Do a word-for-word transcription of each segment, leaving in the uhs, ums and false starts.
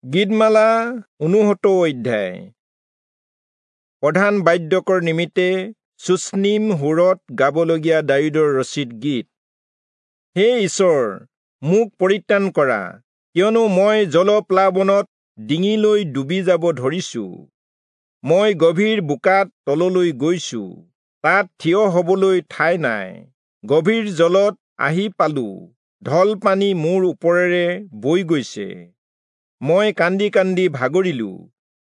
গীতমালা ঊনসত্তৰ অধ্যায়। প্ৰধান বাদ্যকৰ নিমিত্তে চুষ্ণীম সুৰত গাবলগীয়া দায়ূদৰ ৰচিত গীত। হে ঈশ্বৰ, মোক পৰিত্ৰাণ কৰা, কিয়নো মই জলপ্লাৱনত ডিঙিলৈ ডুবি যাব ধৰিছো। মই গভীৰ বোকাত তললৈ গৈছো, তাত থিয় হবলৈ ঠাই নাই। গভীৰ জলত আহি পালো, ঢল পানী মোৰ ওপৰেৰে বৈ গৈছে। মই কান্দি কান্দি ভাগৰিলো,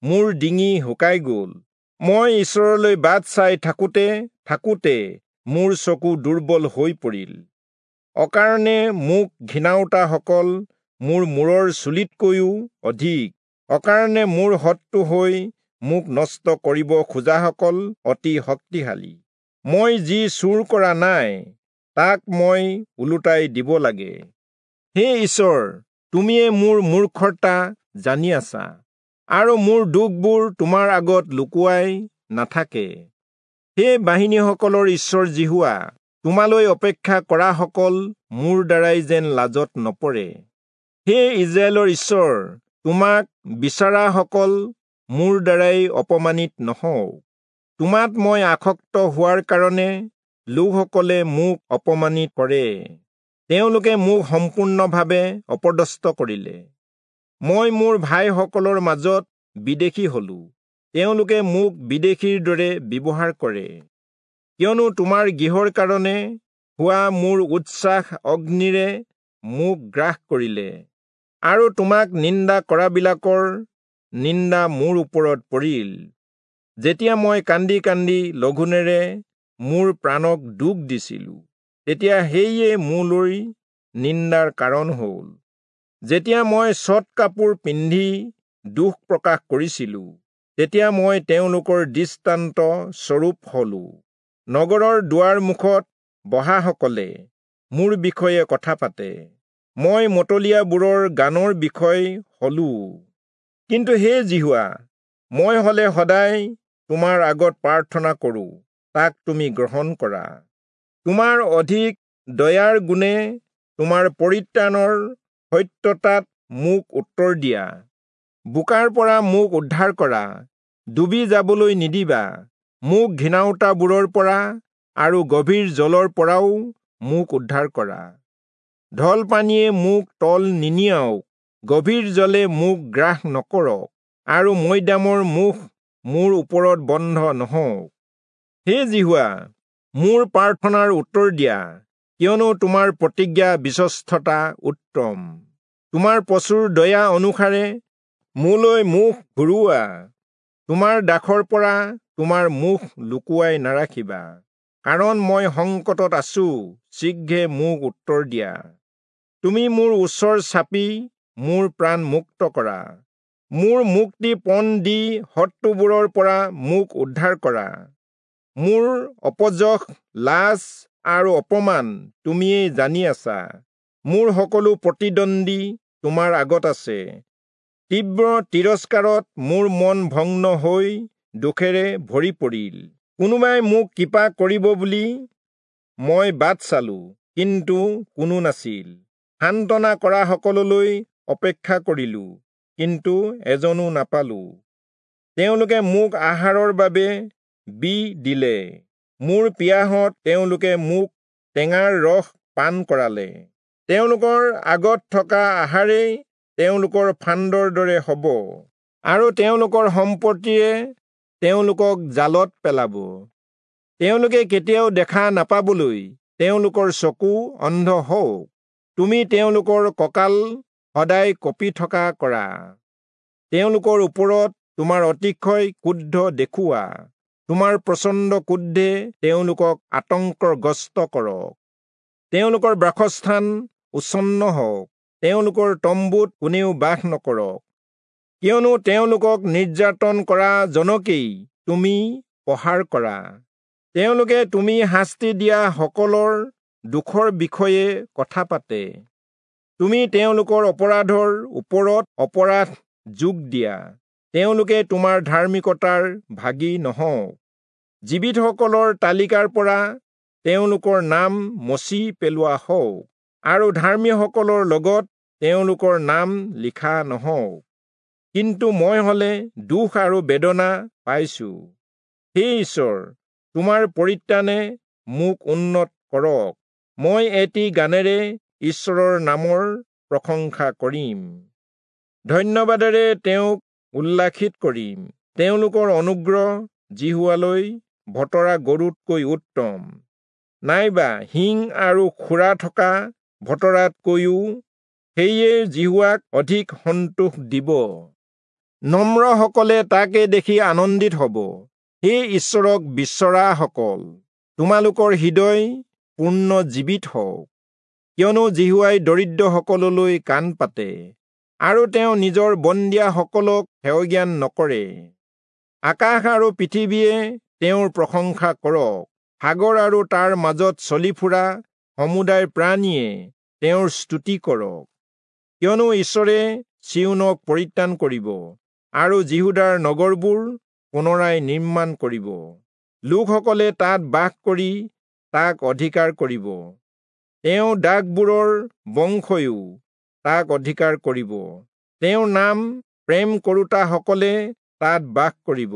মোৰ ডিঙি শুকাই গল। মই ঈশ্বৰলৈ বাট চাই থাকোঁতে থাকোঁতে মোৰ চকু দুৰ্বল হৈ পৰিল। অকাৰণে মোক ঘিণাওতাসকল মোৰ মূৰৰ চুলিতকৈও অধিক, অকাৰণে মোৰ শত্ৰু হৈ মোক নষ্ট কৰিব খোজাসকল অতি শক্তিশালী। মই যি চুৰ কৰা নাই, তাক মই ওলোটাই দিব লাগে। হে ঈশ্বৰ, তুমিয়ে মোৰ মূৰ্খতা জানি আছা, আৰু মোৰ দুখবোৰ তোমাৰ আগত লুকুৱাই নাথাকে। হে বাহিনীসকলৰ ঈশ্বৰ যিহোৱা, তোমালৈ অপেক্ষা কৰাসকল মোৰ দ্বাৰাই যেন লাজত নপৰে। হে ইস্ৰায়েলৰ ঈশ্বৰ, তোমাক বিচৰাসকল মোৰ দ্বাৰাই অপমানিত নহওক। তোমাত মই আসক্ত হোৱাৰ কাৰণে লোকসকলে মোক অপমানিত কৰে, তেওঁলোকে মোক সম্পূৰ্ণভাৱে অপদস্থ কৰিলে। মই মোৰ ভাইসকলৰ মাজত বিদেশী হলো, তেওঁলোকে মোক বিদেশীৰ দৰে ব্যৱহাৰ কৰে। কিয়নো তোমাৰ গৃহৰ কাৰণে হোৱা মোৰ উৎসাহ অগ্নিৰে মোক গ্ৰাস কৰিলে, আৰু তোমাক নিন্দা কৰাবিলাকৰ নিন্দা মোৰ ওপৰত পৰিল। যেতিয়া মই কান্দি কান্দি লঘোণেৰে মোৰ প্ৰাণক দুখ দিছিলো, তেতিয়া সেয়ে মোলৈ নিন্দাৰ কাৰণ হ'ল। যেতিয়া মই চট কাপোৰ পিন্ধি দুখ প্ৰকাশ কৰিছিলো, তেতিয়া মই তেওঁলোকৰ দৃষ্টান্ত স্বৰূপ হলো। নগৰৰ দুৱাৰ মুখত বহাসকলে মোৰ বিষয়ে কথা পাতে, মই মতলীয়াবোৰৰ গানৰ বিষয় হলো। কিন্তু হে যিহোৱা, মই হলে সদায় তোমাৰ আগত প্ৰাৰ্থনা কৰো, তাক তুমি গ্ৰহণ কৰা। তোমাৰ অধিক দয়াৰ গুণে তোমাৰ পৰিত্ৰাণৰ সত্যতাত মোক উত্তৰ দিয়া। বোকাৰ পৰা মোক উদ্ধাৰ কৰা, ডুবি যাবলৈ নিদিবা। মোক ঘিণাওতাবোৰৰ পৰা আৰু গভীৰ জলৰ পৰাও মোক উদ্ধাৰ কৰা। ঢল পানীয়ে মোক তল নিনিয়াওক, গভীৰ জলে মোক গ্ৰাস নকৰক, আৰু মৈদামৰ মুখ মোৰ ওপৰত বন্ধ নহওক। হে যিহোৱা, মোৰ প্ৰাৰ্থনাৰ উত্তৰ দিয়া, কিয়নো তোমাৰ প্ৰতিজ্ঞা বিশ্বস্ততা উত্তম। তোমাৰ প্ৰচুৰ দয়া অনুসাৰে মোলৈ মুখ ঘূৰোৱা, তোমাৰ দাসৰ পৰা তোমাৰ মুখ লুকুৱাই নাৰাখিবা। কাৰণ মই সংকটত আছো, শীঘ্ৰে মোক উত্তৰ দিয়া। তুমি মোৰ ওচৰ চাপি মোৰ প্ৰাণ মুক্ত কৰা, মোৰ মুক্তি পণ দি শত্ৰুবোৰৰ পৰা মোক উদ্ধাৰ কৰা। মোৰ অপযশ, লাজ আৰু অপমান তুমিয়েই জানি আছা, মোৰ সকলো প্ৰতিদ্বন্দ্বী তোমাৰ আগত আছে। তীব্ৰ তিৰস্কাৰত মোৰ মন ভগ্ন হৈ দুখেৰে ভৰি পৰিল। কোনোবাই মোক কৃপা কৰিব বুলি মই বাট চালো, কিন্তু কোনো নাছিল। সান্তনা কৰাসকললৈ অপেক্ষা কৰিলো, কিন্তু এজনো নাপালো। তেওঁলোকে মোক আহাৰৰ বাবে বিহ দিলে, মোৰ পিয়াহত তেওঁলোকে মোক টেঙাৰ ৰস পান কৰালে। তেওঁলোকৰ আগত থকা আহাৰেই তেওঁলোকৰ ফান্দৰ দৰে হ'ব, আৰু তেওঁলোকৰ সম্পত্তিয়ে তেওঁলোকক জালত পেলাব। তেওঁলোকে কেতিয়াও দেখা নাপাবলৈ তেওঁলোকৰ চকু অন্ধ হওক। তুমি তেওঁলোকৰ কঁকাল সদায় কঁপি থকা কৰা, তেওঁলোকৰ ওপৰত তোমাৰ অতিশয় ক্ৰোধ দেখুওৱা। তোমাৰ প্ৰচণ্ড ক্ৰোধে তেওঁলোকক আতংকগ্ৰস্ত কৰক। তেওঁলোকৰ বাসস্থান উচ্ছন্ন হওক, তেওঁলোকৰ তম্বুত কোনেও বাস নকৰক। কিয়নো তেওঁলোকক নিৰ্যাতন কৰা জনকেই তুমি প্ৰহাৰ কৰা, তেওঁলোকে তুমি শাস্তি দিয়া সকলৰ দুখৰ বিষয়ে কথা পাতে। তুমি তেওঁলোকৰ অপৰাধৰ ওপৰত অপৰাধ যোগ দিয়া, তেওঁলোকে তোমাৰ ধাৰ্মিকতাৰ ভাগী নহওক। জীৱিতসকলৰ তালিকাৰ পৰা তেওঁলোকৰ নাম মচি পেলোৱা হওক, আৰু ধাৰ্মীসকলৰ লগত তেওঁলোকৰ নাম লিখা নহওক। কিন্তু মই হলে দুখ আৰু বেদনা পাইছো। হে ঈশ্বৰ, তোমাৰ পৰিত্ৰাণে মোক উন্নত কৰক। মই এটি গানেৰে ঈশ্বৰৰ নামৰ প্ৰশংসা কৰিম, ধন্যবাদেৰে তেওঁক উল্লাসিত কৰিম। তেওঁলোকৰ অনুগ্ৰহ যিহোৱালৈ ভতৰা গৰুতকৈ উত্তম, নাইবা শিং আৰু খুৰা থকা ভতৰাতকৈও সেয়ে যিহোৱাক অধিক সন্তোষ দিব। নম্ৰসকলে তাকে দেখি আনন্দিত হ'ব। হে ঈশ্বৰক বিচৰাসকল, তোমালোকৰ হৃদয় পূৰ্ণ জীৱিত হওক, কিয়নো যিহোৱাই দৰিদ্ৰসকললৈ কাণ পাতে আৰু তেওঁ নিজৰ বন্দীয়াসকলক হেয়জ্ঞান নকৰে। আকাশ আৰু পৃথিৱীয়ে তেওঁৰ প্ৰশংসা কৰক, সাগৰ আৰু তাৰ মাজত চলি ফুৰা সমুদায় প্ৰাণীয়ে তেওঁৰ স্তুতি কৰক। কিয়নো ঈশ্বৰে চিয়োনক পৰিত্ৰাণ কৰিব আৰু যিহূদাৰ নগৰবোৰ পুনৰাই নিৰ্মাণ কৰিব। লোকসকলে তাত বাস কৰি তাক অধিকাৰ কৰিব, তেওঁ দাসবোৰৰ বংশয়ো তাক অধিকাৰ কৰিব, তেওঁৰ নাম প্ৰেম কৰোতাসকলে তাত বাস কৰিব।